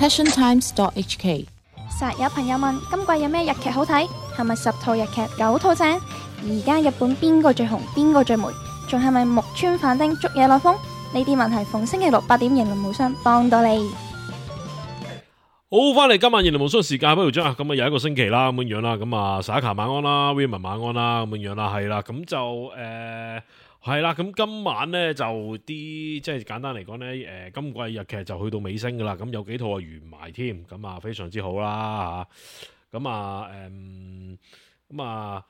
passiontimes.hk。實有朋友問今季有咩日劇好睇？係咪10套日劇9套正？而家日本邊個最紅？邊個最霉？仲係咪木村反町捉野內風？呢啲問題逢星期六8點迎龍無雙幫到你。好，翻嚟今晚言論無雙時間，不如將咁啊又一個星期啦，咁樣啦，咁啊Saka晚安啦 ，William 晚安啦，咁樣啦，係啦，咁就係啦，咁今晚咧就啲即係簡單嚟講咧，今季日劇就去到尾聲噶啦，咁有幾套啊完埋添，咁啊非常之好啦吓，咁啊咁啊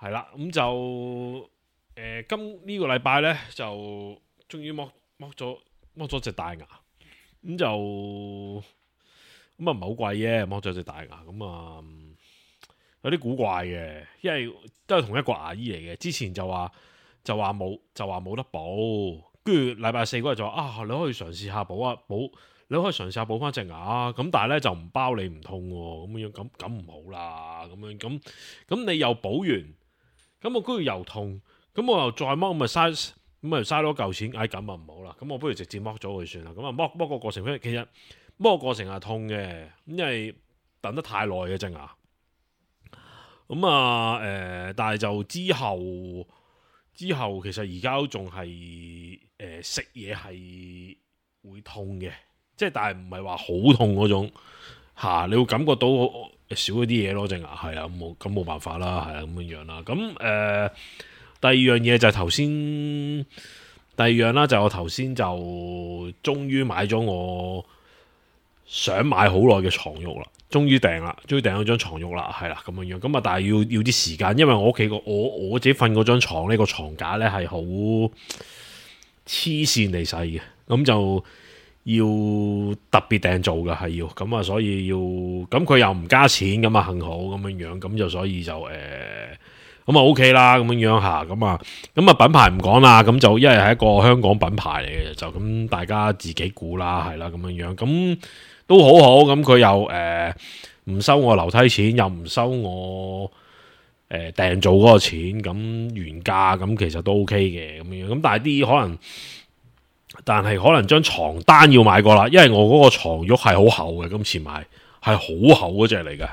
係啦，咁就今呢個禮拜咧就終於剝咗隻大牙，咁就。咁啊唔係好貴嘅，剝咗隻大牙，咁啊有啲古怪嘅，因為都係同一個牙醫嚟嘅。之前就話冇得補，跟住禮拜4嗰日就話你可以嘗試下補啊補，你可以嘗試下補翻隻牙，咁但係咧就唔包你唔痛喎，咁樣咁唔好啦，咁你又補完，咁我跟住又痛，咁我又再剝，咁咪嘥咗嚿錢，咁啊唔好啦，咁我不如直接剝咗佢算啦，咁啊剝個過程其實。剝個過程係痛嘅，因為等得太耐嘅隻牙。咁啊，但係就之後其實而家都仲係食嘢係會痛嘅，即係但係唔係話好痛嗰種嚇，你會感覺到少咗啲嘢咯，隻牙係啊，冇辦法啦，係啊咁樣啦。咁第二樣嘢就係頭先，第二樣啦就我頭先就終於買咗我想買好耐嘅床褥啦，終於訂咗張床褥啦，係啦咁樣，咁啊但係要啲時間，因為我屋企我自己瞓嗰張床呢個床架咧係好黐線地細嘅，咁就要特別訂做嘅係要，咁啊所以要，咁佢又唔加錢，咁啊幸好咁樣，咁就所以就咁啊 OK 啦，咁樣吓，咁啊品牌唔講啦，咁就因為係一個香港品牌嚟嘅，就咁大家自己估啦，係啦咁樣，咁。都好好，咁佢又唔收我樓梯錢，又唔收我訂做嗰個錢，咁原價咁其實都 OK 嘅咁樣，咁但係可能張床單要買過啦，因為我嗰個床褥係好厚嘅，今次買係好厚嗰隻嚟嘅，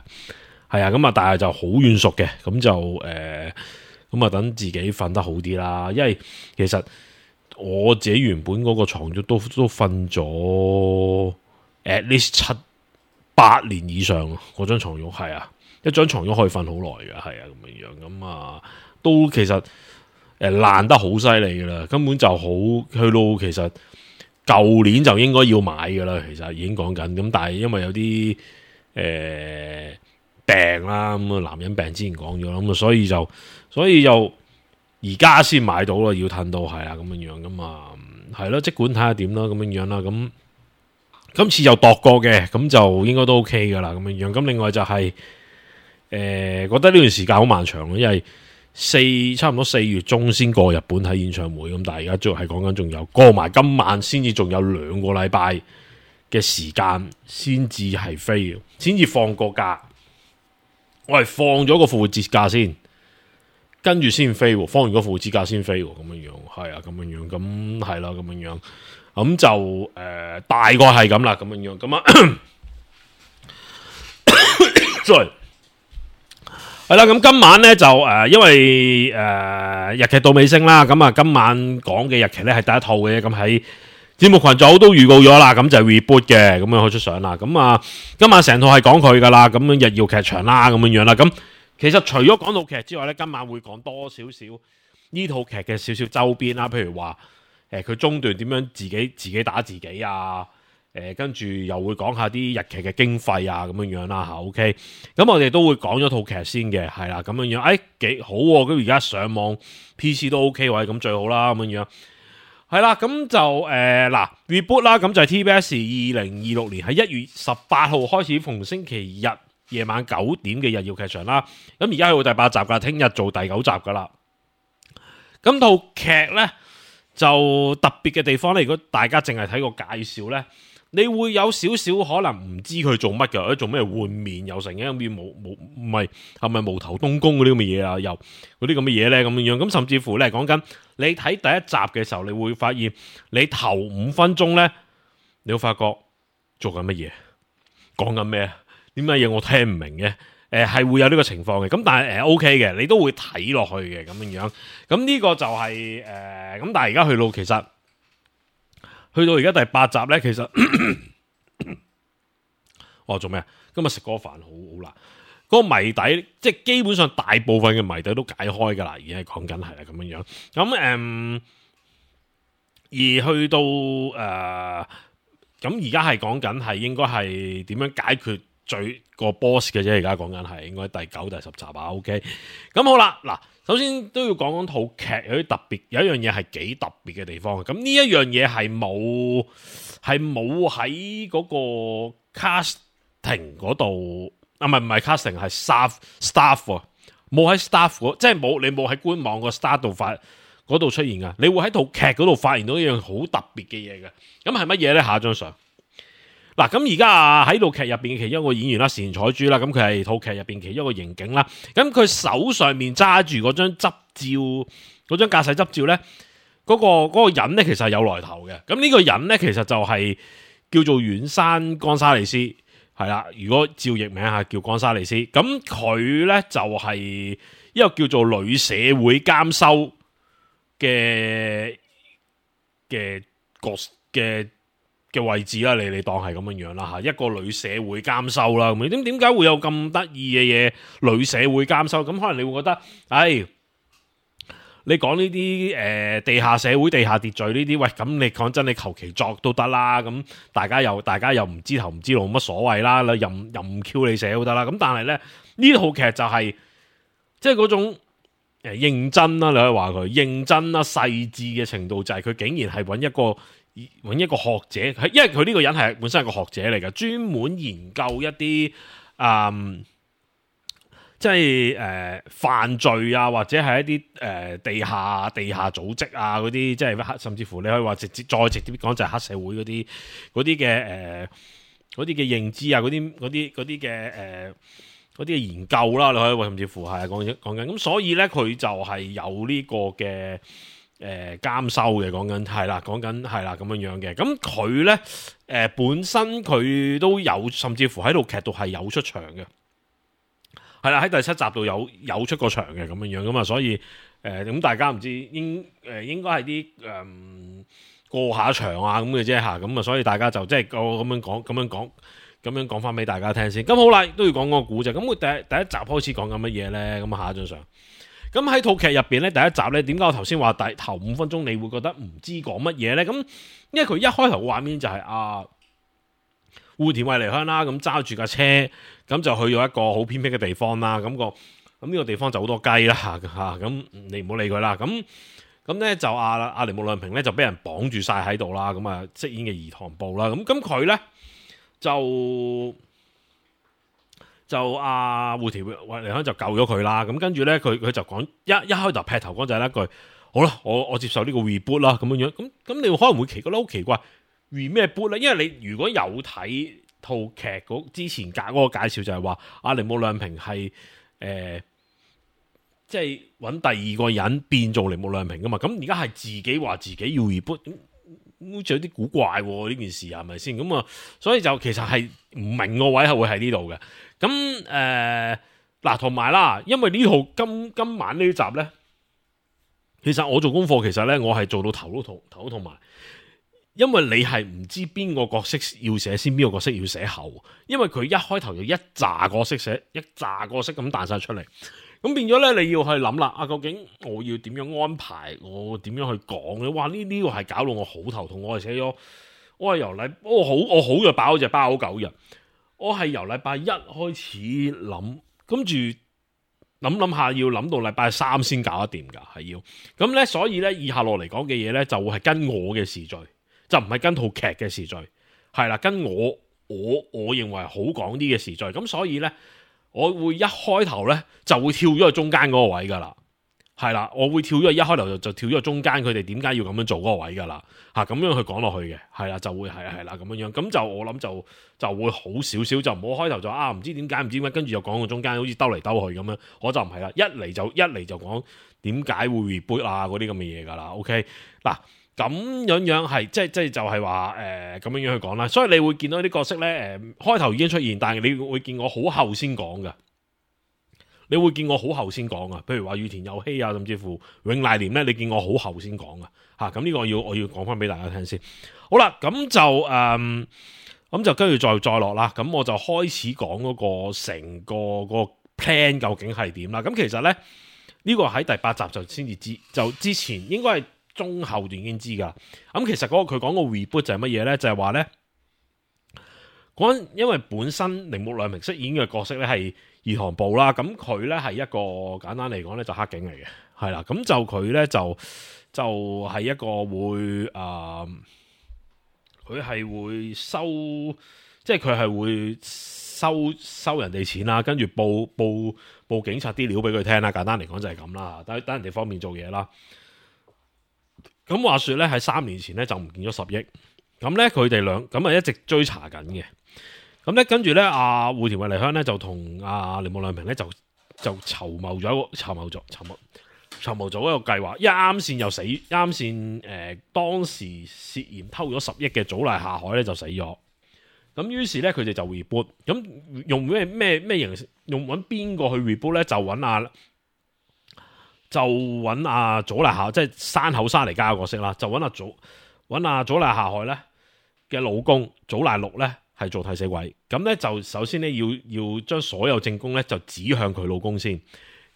係啊，咁啊但係就好軟熟嘅，咁就咁啊等自己瞓得好啲啦，因為其實我自己原本嗰個床褥都瞓咗。at least 7-8年以上嗰張床褥係啊，一張床褥可以瞓好耐嘅，係啊咁樣，咁啊都其實爛得好犀利噶啦，根本就好去到其實舊年就應該要買噶啦，其實已經講緊，咁但係因為有啲病啦，咁啊男人病之前講咗啦，咁啊所以就而家先買到啦，要褪到係啊咁樣，咁啊係咯，即管睇下點啦，咁樣啦，咁。今次又度過嘅，咁就應該都 OK 噶啦，咁樣。咁另外就係、覺得呢段時間好漫長咯，因為差唔多4月中先過日本睇演唱會，咁但係而家仲係講緊仲有過埋今晚先至仲有2個禮拜嘅時間先至係飛，先至放個假。我係放咗個復活節假先，跟住先飛，放完個復活節假先飛，咁樣係啊，咁樣咁係啦，咁樣。咁就大概係咁啦，咁樣咁啊，sorry，係啦，咁今晚咧就因為日劇到尾聲啦，咁啊今晚講嘅日劇咧係第一套嘅，咁喺節目群組都預告咗啦，咁就係 reboot 嘅，咁樣開出相啦，咁啊今晚成套係講佢噶啦，咁樣日曜劇場啦，咁樣啦，咁其實除咗講到劇之外咧，今晚會講多少少呢套劇嘅少少周邊啦，譬如話。佢中段點樣自己打自己啊？跟住又會講下啲日劇嘅經費啊，咁樣啦嚇。OK，咁我哋都會講咗套劇先嘅，係啦，咁樣幾好喎。咁而家上網 PC 都 OK 喎，咁最好啦，咁樣係啦。咁就reboot 啦，咁就係 TBS 2026年喺1月18號開始，逢星期日夜晚9點嘅日曜劇場啦。咁而家去到第8集㗎，聽日做第9集㗎啦。咁套劇呢。就特別嘅地方咧，如果大家淨係睇個介紹咧，你會有少少可能唔知佢做乜嘅，做咩換面又成嘅咁樣係咪無頭東宮嗰啲咁嘅嘢啊？又嗰啲咁嘅嘢咧咁樣，咁甚至乎咧講緊你睇第一集嘅時候，你會發現你頭5分鐘咧，你會發覺做緊乜嘢？講緊咩？點解嘢我聽唔明嘅？係會有呢個情況嘅，咁但係OK 嘅，你都會睇落去嘅咁樣。咁呢個就係咁，但係而家去到而家第8集咧，其實我做咩啊？今日食嗰個飯好辣，嗰個謎底即係基本上大部分嘅謎底都解開噶啦，而家係講緊係啦咁樣。咁而去到咁而家係講緊係應該係點樣解決最個 boss 嘅啫，而家講緊係應該第9、第10集啊。OK， 咁好啦，嗱，首先都要講套劇有啲特別，有一樣嘢係幾特別嘅地方。咁呢一樣嘢係冇喺嗰個 casting 嗰度啊，唔係 casting 係 staff 冇喺 staff 即係你冇喺官網個 star 度嗰度出現噶，你會喺套劇嗰度發現到一樣好特別嘅嘢嘅。咁係乜嘢咧？下一張相。嗱，咁而家喺套劇入邊嘅其中一個演員啦，單彩珠啦，咁佢係套劇入邊其中一個刑警啦。咁佢手上面揸住嗰張執照，嗰張駕駛執照咧，嗰個人咧其實係有來頭嘅。咁呢個人咧其實就係叫做遠山岡沙利斯，係啦。如果照譯名下叫岡沙利斯，咁佢咧就係一個叫做女社會監修嘅位置啦，你當係咁樣啦吓，一個女社會監修啦，咁點解會有咁得意嘅嘢？女社會監修，咁可能你會覺得，你講呢啲地下社會、地下秩序呢啲，喂，咁你講真，你求其作都得啦，咁大家又唔知頭唔知路，冇乜所謂啦，任 Q 你寫都得啦。咁但係咧呢套劇就係即係嗰種認真啦，你可以話佢認真啦、細緻嘅程度，就係佢竟然係揾一個學者，因為佢呢個人係本身係個學者嚟嘅，專門研究一啲即係犯罪啊，或者係一啲地下組織啊嗰啲，即係甚至乎你可以話再直接講就係黑社會嗰啲嘅認知啊，嗰啲嘅研究啦，你可以話甚至乎係講緊咁，所以咧佢就係有呢個嘅。監修嘅講緊係啦咁樣嘅，咁佢咧本身佢都有，甚至乎喺套劇度係有出場嘅，係啦，喺第7集度有出過場嘅咁樣咁啊，所以咁大家唔知應該係啲過下場啊咁嘅啫吓，咁啊所以大家就即係我咁樣講翻俾大家聽先。咁好啦，都要講個故仔。咁佢第一集開始講緊乜嘢咧？咁下一張相。咁喺套劇入邊咧，第一集咧，點解我頭先話頭5分鐘你會覺得唔知講乜嘢咧？咁因為佢一開頭嘅畫面就係戶田惠梨香啦，咁揸住架車，咁就去咗一個好偏僻嘅地方啦。咁呢個地方就好多雞啦嚇，咁你唔好理佢啦。咁咧就阿鈴木亮平咧就俾人綁住晒喺度啦。咁啊飾演嘅伊藤步啦。咁佢咧就戶田惠梨香就救咗佢啦，咁跟住咧佢就講一開頭劈頭講就係一句，好啦，我接受呢個 reboot 啦咁樣，咁你可能會覺得好奇怪 re 咩 boot 咧？因為你如果有睇套劇之前嗰個介紹就係話阿鈴木亮平係即係揾第二個人變做鈴木亮平噶嘛，咁而家係自己話自己要 reboot，好似有啲古怪呢件事係咪先？咁啊，所以就其實係唔明個位係會喺呢度嘅。咁嗱，同埋啦，因為呢套今晚呢集咧，其實我做功課，其實咧我係做到頭都痛埋，因為你係唔知邊個角色要寫先，邊個角色要寫後，因為佢一開頭就一紮角色寫，一紮角色咁彈晒出嚟，咁變咗咧你要去諗啦，究竟我要點樣安排，我點樣去講咧？哇！呢個係搞到我好頭痛，我係寫咗，我好就爆咗隻包9日。我係由禮拜1開始諗，跟住諗下要諗到禮拜3先搞得掂㗎，係要咁咧。所以咧，以下落嚟講嘅嘢咧，就會係跟我嘅時序，就唔係跟套劇嘅時序，係啦，跟我認為好講啲嘅時序。咁所以咧，我會一開頭咧就會跳咗去中間嗰個位㗎啦。係啦，我會跳咗一開頭就跳咗中間，佢哋點解要咁樣做嗰個位噶啦？咁樣去講落去嘅，係啦，就會係啦咁樣，咁就我諗就會好少少，就唔好開頭就唔知點解，跟住又講個中間，好似兜嚟兜去咁樣，我就唔係啦，一嚟就講點解會 reboot 啊嗰啲咁嘅嘢噶啦。OK 嗱，咁樣係即係就係話咁樣去講啦。所以你會見到啲角色咧開頭已經出現，但係你會見我好後先講噶。你會見我好後先講啊，譬如話羽田佑希啊，甚至乎永瀨廉咧，你見我好後先講啊。咁呢個我要講翻俾大家聽先。好啦，咁就跟住再落啦。咁我就開始講嗰個成個 plan 究竟係點啦。咁其實咧呢個喺第8集就先至知，就之前應該係中後段已經知噶。咁其實佢講個 reboot 就係乜嘢咧？就係話咧因為本身鈴木亮平飾演嘅角色咧係二堂步啦，咁佢咧係一個簡單嚟講咧就黑警嚟嘅，係啦。咁就佢咧就係一個會佢係會收，即係佢係會收人哋錢啦，跟住報警察啲料俾佢聽啦。簡單嚟講就係咁啦，等人哋方便做嘢啦。咁話說咧喺3年前咧就唔見咗10億，咁咧佢哋咁啊一直追查緊嘅。咁咧跟住咧阿戶田惠梨香咧就同阿鈴木亮平咧就籌謀咗一個計劃，啱先又死，啱先當時涉嫌偷咗10億嘅早瀨下海咧就死咗。咁於是咧佢哋就 reboot， 咁用咩形式？用揾邊個去 reboot 咧？就揾阿早瀨下，即係山口沙尼加嘅角色啦。就揾阿早瀨下海咧嘅老公早瀨六咧係做替死鬼。咁咧就首先咧要將所有證供咧就指向佢老公先。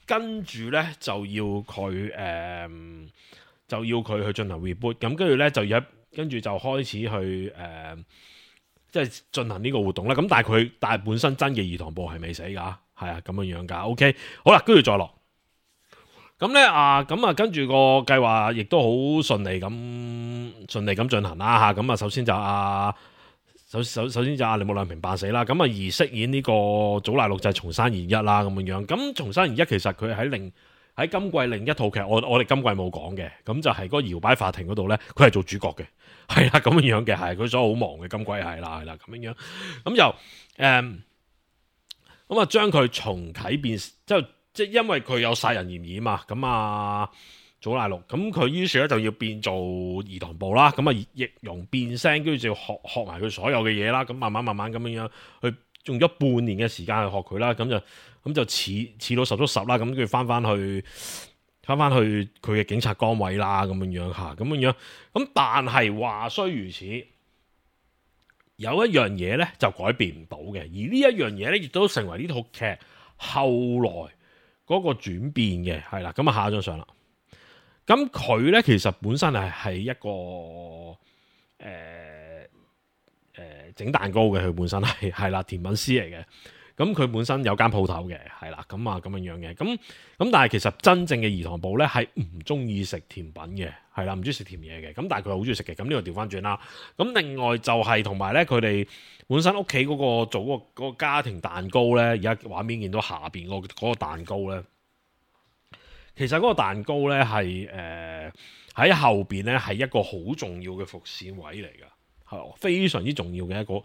跟住咧就要佢去進行 reboot， 咁跟住咧跟住就開始去即係進行呢個活動啦。咁但係本身真嘅二堂步係未死噶，係啊咁樣噶。OK， 好啦，跟住再落。咁咧跟住個計劃亦都好順利咁進行啦嚇。咁首先就首先就阿鈴木亮平扮死啦，咁而飾演呢個早瀨六就係松山研一啦咁樣。咁松山研一其實佢喺今季另一套劇，我哋今季冇講嘅，咁就係嗰個搖擺法庭嗰度咧，佢係做主角嘅，係啦咁樣嘅，係佢所以好忙嘅今季係啦咁樣。咁就將佢重啟變即係因為佢有殺人嫌疑嘛，咁早瀨六，咁佢於是咧就要變做二堂步啦，咁易容變聲，跟住就要學埋佢所有嘅嘢啦，咁慢慢咁樣去用咗半年嘅時間去學佢啦，咁就似到十足十啦，咁跟住翻翻去佢嘅警察崗位啦，咁樣嚇，咁樣，咁但係話雖如此，有一樣嘢咧就改變唔到嘅，而呢一樣嘢咧亦都成為呢套劇後來嗰個轉變嘅，係啦，咁下一張相啦。咁佢咧其實本身係一個整蛋糕嘅，佢本身係啦甜品師嚟嘅。咁佢本身有間鋪頭嘅，係啦咁樣嘅。咁但係其實真正嘅二堂步咧係唔中意食甜品嘅，係啦唔中意食甜嘢嘅。咁但係佢好中意食嘅。咁呢個調翻轉啦。咁另外就係同埋咧，佢哋本身屋企嗰個做嗰個家庭蛋糕咧，而家畫面見到下邊嗰個蛋糕咧。其實嗰個蛋糕咧係喺後邊咧係一個好重要嘅伏線位嚟㗎，係非常之重要嘅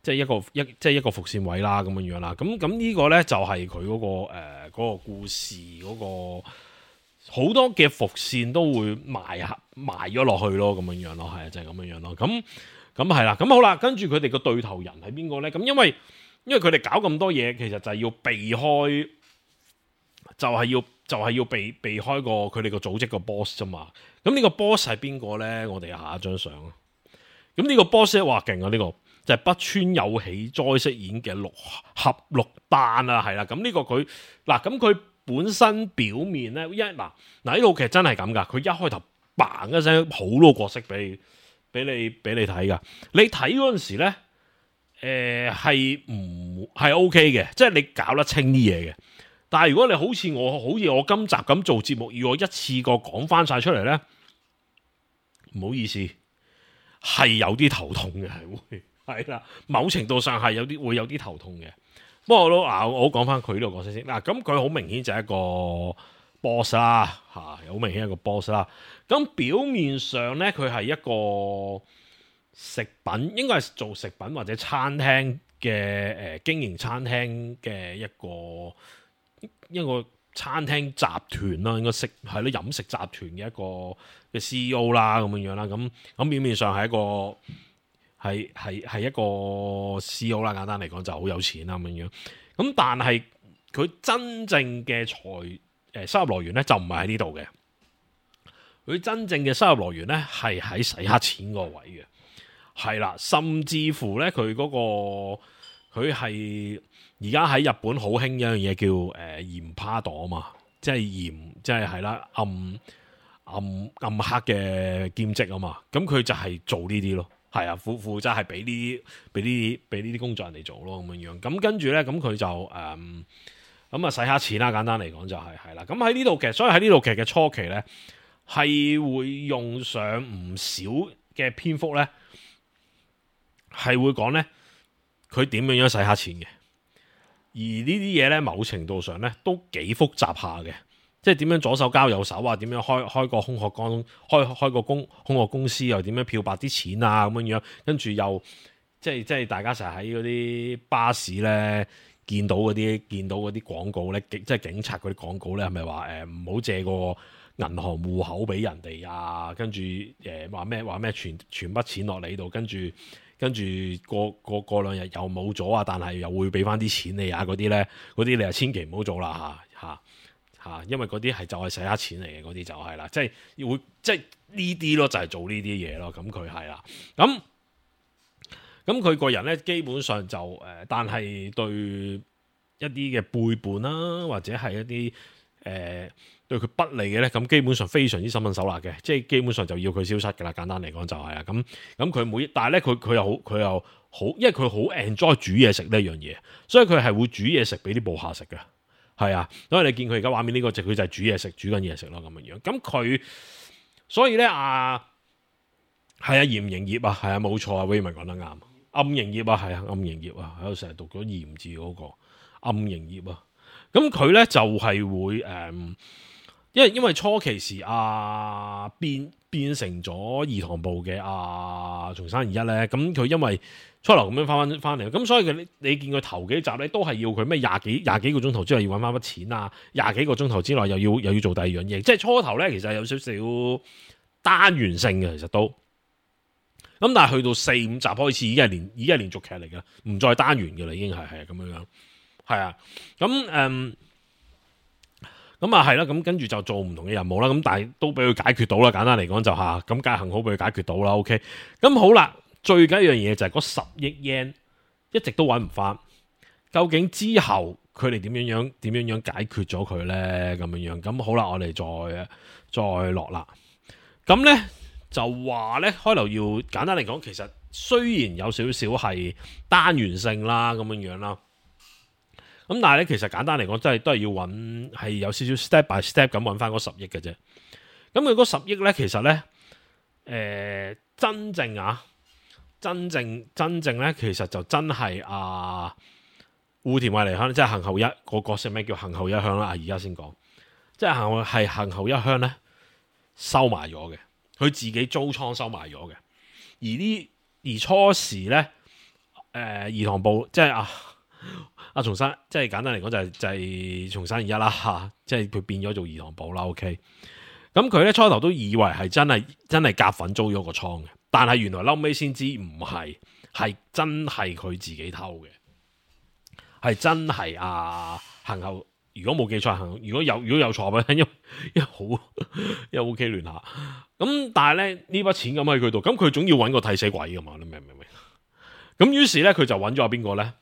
即係一個伏線位啦，咁樣啦。咁呢個咧就係佢嗰個故事嗰個好多嘅伏線都會埋咗落去咯，咁樣咯，係就係咁樣咯。咁係啦，咁好啦，跟住佢哋個對頭人係邊個咧？咁因為佢哋搞咁多嘢，其實就係要避開。就係要避開佢哋個組織個 boss 啫嘛。咁呢個 boss 係邊個咧？我哋下一張相。咁呢個 boss 咧，哇勁啊！呢個就係北川有喜哉飾演嘅六丹啊，係啦。咁呢個佢咁佢本身表面咧，嗱呢套劇真係咁噶。佢一開頭嘭一聲好多角色俾你睇噶。你睇嗰陣時咧，係 OK 嘅，即係你搞得清啲嘢嘅。但係如果你好似我今集咁做節目，要我一次過講翻晒出嚟咧，唔好意思，係有啲頭痛嘅，係啦，某程度上係會有啲頭痛嘅。不過我講翻佢呢個角色先。咁佢好明顯就係一個 boss 啦，好明顯一個 boss 啦。咁表面上咧，佢係一個食品，應該係做食品或者餐廳嘅經營餐廳嘅一個餐廳集團啦，應該係咯飲食集團嘅一個嘅 CEO 啦，咁樣啦，咁表面上係一個 CEO 啦，簡單嚟講就好有錢啦咁樣，咁但係佢真正嘅收入來源咧就唔係喺呢度嘅，佢真正嘅收入來源咧係喺洗黑錢個位嘅，係啦，甚至乎咧佢佢係而家喺日本好興一樣嘢叫鹽巴黨啊嘛，即係鹽，即係係啦暗黑嘅兼職啊嘛，咁佢就係做呢啲咯，係啊，負責係俾呢啲工作人哋做咯咁樣，咁跟住咧咁佢就咁洗黑錢啦，簡單嚟講就係啦，咁喺呢套劇，所以喺呢套劇嘅初期咧係會用上唔少嘅篇幅咧，係會講咧佢點樣洗黑錢嘅。而呢啲嘢咧，某程度上咧都幾複雜下嘅，即係點樣左手交右手啊？點樣開個空殼公開個空殼公司，又點樣漂白啲錢啊？咁樣，跟住又即係大家成日喺嗰啲巴士咧見到嗰啲廣告咧，即係警察嗰啲廣告咧，係咪話唔好借個銀行戶口俾人哋啊？跟住話咩傳筆錢落你度，跟住過兩日又冇咗啊！但係又會俾翻啲錢你啊！嗰啲你就千祈唔好做啦嚇，因為嗰啲係就係洗黑錢嚟嘅，嗰啲就係啦，即係呢啲咯，就係做呢啲嘢咯。咁佢係啦，咁佢個人咧基本上就但係對一啲嘅背叛啦，或者係一啲對佢不利嘅咧，咁基本上非常之心狠手辣嘅，即係基本上就要佢消失㗎啦。簡單嚟講就係啊，咁佢但係咧佢又好，因為佢好 enjoy 煮嘢食呢樣嘢，所以佢係會煮嘢食俾啲部下食嘅，係啊。所以你見佢而家畫面呢個佢就係煮嘢食，煮緊嘢食咯咁樣。咁佢所以咧係啊，嚴營業啊，係啊，冇錯啊 Raymond 講得啱，暗營業啊，係啊，暗營業啊，喺度成日讀咗鹽字嗰個暗營業啊。咁佢咧就係會因為初期時變成咗兒童部嘅松山二一咧，咁佢因為初頭咁樣翻嚟，咁所以你見佢頭幾集咧都係要佢咩廿幾個鐘頭之內要揾翻筆錢啊，廿幾個鐘頭之內又要做第二樣嘢，即係初頭咧其實有少少單元性嘅，其實都咁，但係去到4、5集開始已經係連續劇嚟嘅，唔再單元嘅啦，已經係咁樣，係啊，咁啊係啦，咁跟住就做唔同嘅任務啦，咁但係都俾佢解決到啦。簡單嚟講就咁梗係幸好俾佢解決到啦。OK，咁好啦，最緊要一樣嘢就係嗰10億 yen 一直都揾唔翻，究竟之後佢哋點樣解決咗佢咧？咁樣，咁好啦，我哋再落啦。咁咧就話咧開頭要簡單嚟講，其實雖然有少少係單元性啦，咁樣啦。咁但係咧，其實簡單嚟講，真係都係要揾，係有少少 step by step 咁揾翻嗰10億嘅啫。咁佢嗰10億咧，其實咧，真正咧，其實就真係戶田惠梨香，即係行後一個角色咩叫行後一香啦？而家先講，即係行後一香咧收埋咗嘅，佢自己租倉收埋咗嘅。而初時咧，兒童部即係松山，即係簡單嚟講就係松山二一啦嚇，即係佢變咗做兒童部啦。OK，咁佢咧初頭都以為係真係夾份租咗個倉嘅，但係原來後尾先知唔係，係真係佢自己偷嘅，係真係行後。如果冇記錯，如果有錯嘅，因為 OK 亂下。咁但係咧呢筆錢咁喺佢度，咁佢總要揾個替死鬼噶嘛？你明唔明？咁於是咧佢就揾咗邊個咧？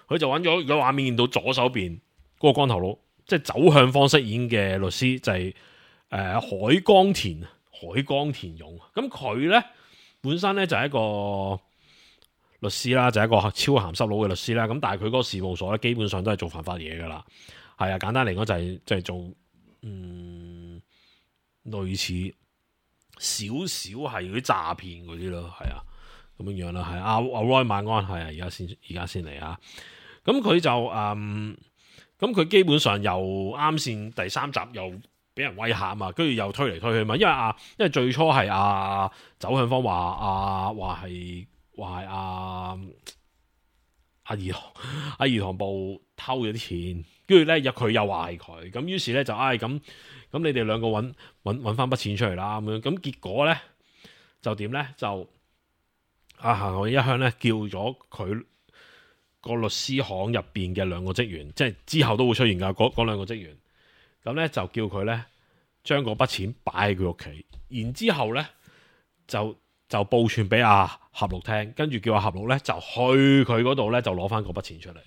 佢就揾咗個畫面見到左手邊嗰個光頭佬，即係走向方飾演嘅律師，就係海江田勇。咁佢咧本身咧就係一個律師啦，就係一個超鹹濕佬嘅律師啦。咁但係佢嗰個事務所咧，基本上都係做犯法嘢噶啦。係啊，簡單嚟講就係做類似少少係嗰啲詐騙嗰啲咯，係啊咁樣啦，係阿 Roy 晚安，係啊，而家先嚟啊。咁佢就咁佢基本上又啱先第3集又俾人威嚇啊嘛，跟住又推嚟推去嘛，因為最初係走向方話係兒童部偷咗啲錢，跟住咧佢又話係佢，咁於是咧就咁你哋兩個揾翻筆錢出嚟啦咁樣，咁結果咧就點咧就行海一鄉咧叫咗佢個律師行入邊嘅兩個職員，即係之後都會出現噶嗰兩個職員，咁咧就叫佢咧將嗰筆錢擺喺佢屋企，然之後咧就報串俾阿合錄聽，跟住叫阿合錄咧就去佢嗰度咧就攞翻嗰筆錢出嚟，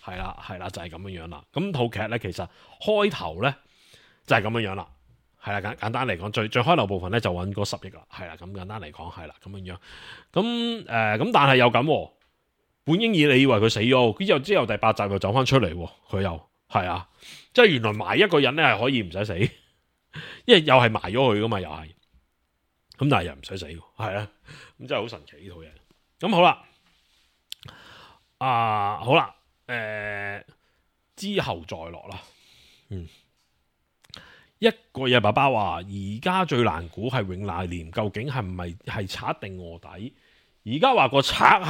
係啦就係咁樣樣啦。咁套劇咧其實開頭咧就係咁樣樣啦，係啦簡單嚟講最開頭部分咧就揾嗰10億啦，係啦咁簡單嚟講係啦咁樣樣。咁咁但係又咁，本英爾你以為佢死咗，之後第8集又走翻出嚟，佢又係啊，即係原來埋一個人咧係可以唔使死，因為又係埋咗佢噶嘛，又係。咁但係又唔使死，係啊，咁真係好神奇呢套嘢。咁好啦，好啦，之後再落啦。一個嘢爸爸話，而家最難估係永瀨廉究竟係唔係賊定臥底？而家話個賊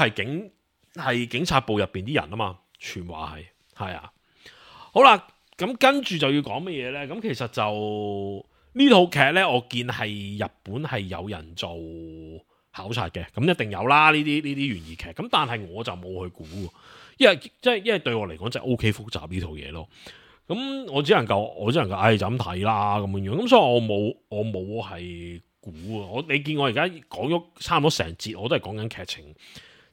係警察部入邊啲人啊嘛，傳話係啊。好啦，咁跟住就要講乜嘢咧？咁其實就。呢套劇呢，我見係日本係有人做考察嘅，咁一定有啦。呢啲懸疑劇，咁但係我就冇去估，因為對我嚟講就 OK 複雜呢套嘢咯。咁我只能夠就咁睇啦咁樣，咁所以我冇係估啊。你見我而家講咗差唔多成節，我都係講緊劇情，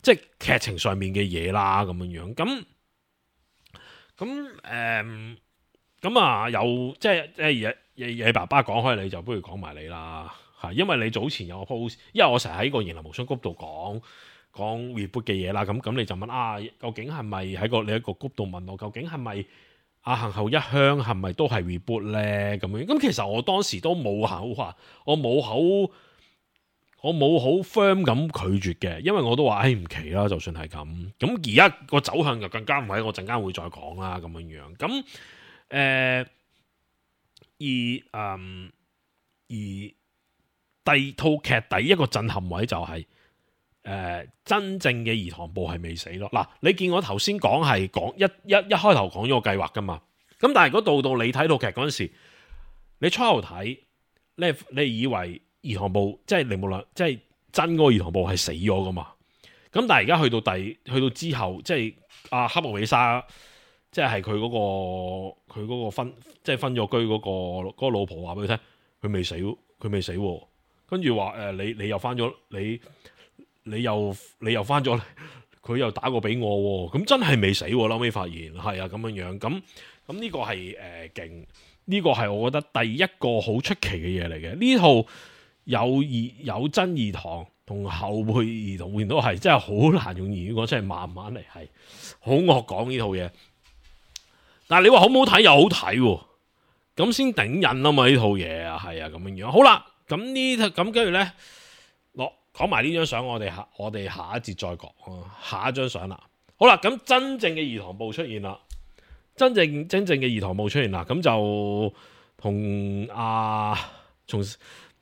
即係劇情上面嘅嘢啦咁樣。咁有即係嘢爸爸講開，你就不如講埋你啦，因為你早前有個 post， 因為我成日喺個言林無雙谷度講 reboot 嘅嘢啦，咁你就問究竟係咪喺你一個谷度問我，究竟係咪行後一鄉係咪都係 reboot 咧？咁樣，咁其實我當時都冇好話，我冇好 firm 咁拒絕嘅，因為我都話唔奇啦，就算係咁而家個走向就更加唔係，我陣間會再講啦咁樣，咁而第二套劇第一個震撼位就係、真正嘅兒童部係未死咯。嗱，你見我頭先講係講一開頭講咗個計劃噶嘛，咁但係如果到你睇套劇嗰陣時，你初頭睇你以為兒童部即係你無論即係真嗰個兒童部係死咗噶嘛，咁但係而家去到之後，即係阿黑木美沙。即係佢嗰個分咗居嗰個老婆話俾佢聽，佢未死，跟住話你又翻咗，你又翻咗，佢又打過俾我，咁真係未死，後尾發現係啊咁樣，咁呢個係勁，呢個係我覺得第一個好出奇嘅嘢嚟嘅。呢套有真兒童同後輩兒童都係真係好難用言語講，真係慢慢嚟，係好惡講呢套嘢。但係你話好唔好睇又好睇，咁先頂癮啊嘛，呢套嘢啊，係啊咁樣。好啦，咁跟住咧，講埋呢張相，我哋下一節再講下一張相啦。好啦，咁真正嘅兒童部出現啦，真正嘅兒童部出現啦，咁就同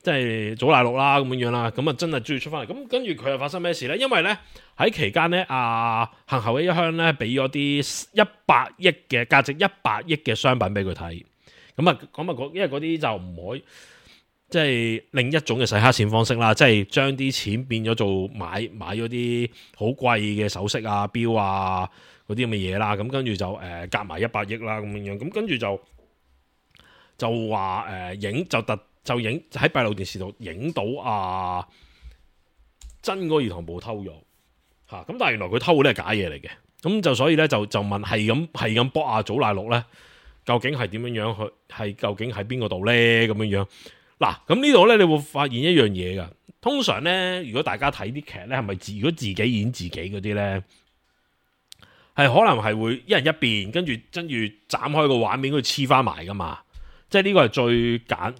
即係祖瀨陸啦咁樣啦，咁啊真係終於出翻嚟。咁跟住佢又發生咩事咧？因為咧喺期間咧，行後一鄉咧俾咗啲100億嘅價值100億嘅商品俾佢睇。咁啊，因為嗰啲就唔可以，即係另一種嘅洗黑錢方式啦，即係將啲錢變咗做買咗啲好貴嘅首飾啊、錶啊嗰啲咁嘅嘢啦。咁跟住就夾埋100億啦咁樣。咁跟住就話就影喺閉路電視度影到真嗰個兒童部偷咗嚇，咁但係原來佢偷嗰啲係假嘢嚟嘅，咁就所以咧就問係咁搏祖瀨陸咧，究竟係點樣去？係究竟喺邊個度咧？咁樣嗱，咁呢度咧你會發現一樣嘢噶。通常咧，如果大家睇啲劇咧，係咪如果自己演自己嗰啲咧，係可能係會一人一邊，跟住斬開個畫面，跟住黐翻埋噶嘛。即係呢個係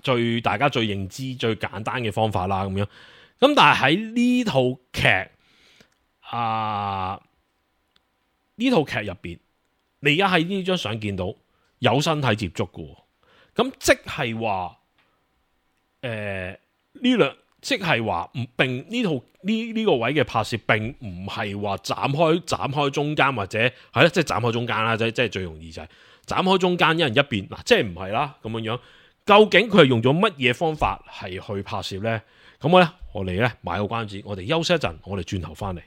最大家最認知最簡單嘅方法啦，咁樣。咁但係喺呢套劇呢套劇入邊，你而家喺呢張相見到有身體接觸嘅，咁即係話即係話並呢套呢個位嘅拍攝並唔係話斬開中間或者係咧，即係斬開中間啦，即係最容易就係斬開中間，一人一邊嗱，即係唔係啦咁樣樣。究竟佢係用咗乜嘢方法係去拍攝呢？咁我哋呢買個關子，我哋休息一陣，我哋轉頭翻嚟。